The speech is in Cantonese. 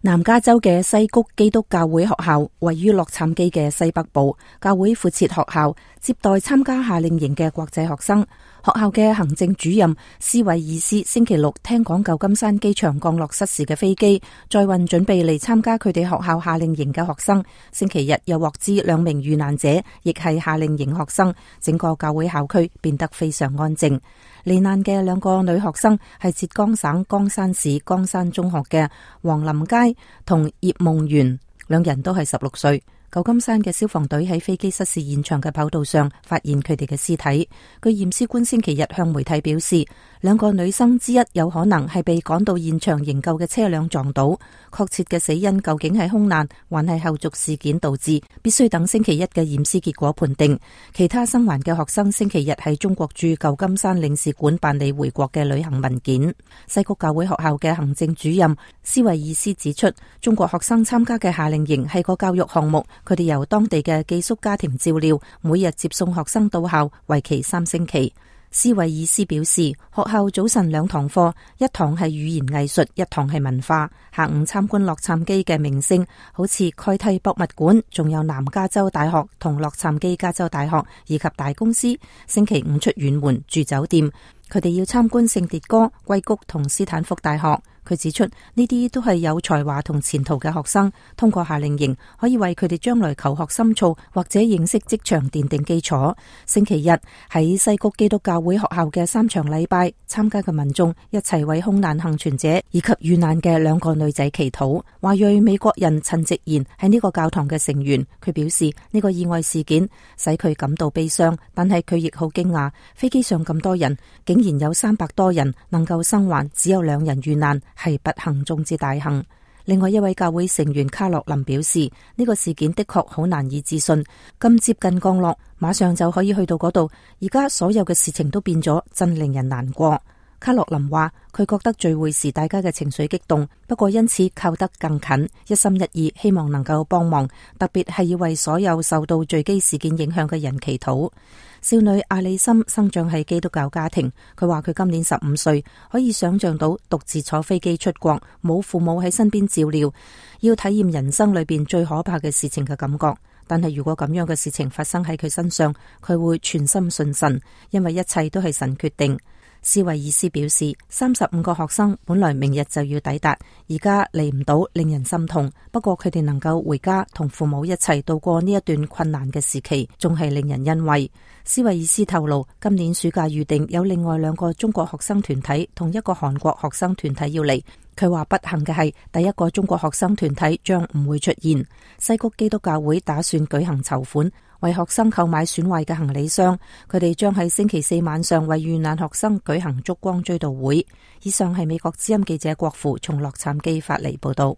南加州嘅西谷基督教會學校位於洛杉磯嘅西北部，教會附設學校，接待參加夏令營嘅國際學生。學校嘅行政主任斯維爾斯星期六聽講舊金山機場降落失事嘅飛機載運準備嚟參加佢哋學校夏令營嘅學生。星期日又獲知2名遇難者亦係夏令營學生，整個教會校區變得非常安靜。罹難嘅2個女學生係浙江省江山市江山中學嘅黃林佳同葉夢圓，2人都係16歲。舊金山嘅消防隊喺飛機失事現場嘅跑道上發現佢哋嘅屍體。據驗屍官星期日向媒體表示，2個女生之一有可能係被趕到現場營救嘅車輛撞倒。確切嘅死因究竟係空難還係後續事件導致，必須等星期一嘅驗屍結果判定。其他生還嘅學生星期日喺中國駐舊金山領事館辦理回國嘅旅行文件。西谷教會學校嘅行政主任斯維爾斯指出，中國學生參加嘅夏令營係個教育項目，佢哋由當地嘅寄宿家庭照料，每日接送學生到校，為期3星期。斯維爾斯表示，學校早晨2堂課，一堂係語言藝術，一堂係文化。下午參觀洛杉磯嘅名勝，好似蓋蒂博物館，仲有南加州大學同洛杉磯加州大學以及大公司。星期五出遠門住酒店，佢哋要參觀聖迭戈、硅谷同斯坦福大學。佢指出，呢啲都係有才華同前途嘅學生，通過夏令營可以為佢哋將來求學深造或者認識職場奠定基礎。星期日喺西谷基督教會學校嘅3場禮拜，參加嘅民眾一齊為空難幸存者以及遇難嘅2個女仔祈禱。華裔美國人陳直賢係呢個教堂嘅成員，佢表示呢個意外事件使佢感到悲傷，但係佢亦好驚訝，飛機上咁多人，竟然有300多人能夠生還，只有2人遇難，係不幸中之大幸。另外一位教會成員卡洛琳表示，呢個事件的確好難以置信，咁接近降落，馬上就可以去到嗰度，而家所有嘅事情都變咗，真令人難過。卡洛琳話，佢覺得聚會時大家嘅情緒激動，不過因此靠得更近，一心一意希望能夠幫忙，特別係要為所有受到墜機事件影響嘅人祈禱。少女阿里森生長喺基督教家庭，佢話佢今年15歲，可以想象到獨自坐飛機出國，冇父母喺身邊照料，要體驗人生裏邊最可怕嘅事情嘅感覺。但係如果咁樣嘅事情發生喺佢身上，佢會全心信神，因為一切都係神決定。斯維爾斯表示，35個學生本來明日就要抵達，而家嚟唔到，令人心痛。不過佢哋能夠回家同父母一齊度過呢一段困難嘅時期，仲係令人欣慰。斯維爾斯透露，今年暑假預定有另外2個中國學生團體同1個韓國學生團體要嚟。佢話不幸嘅係，第1個中國學生團體將唔會出現。西谷基督教會打算舉行籌款，為學生購買損壞嘅行李箱。佢哋將喺星期4晚上為遇難學生舉行燭光追悼會。以上係美國之音記者郭芙從洛杉磯發嚟報道。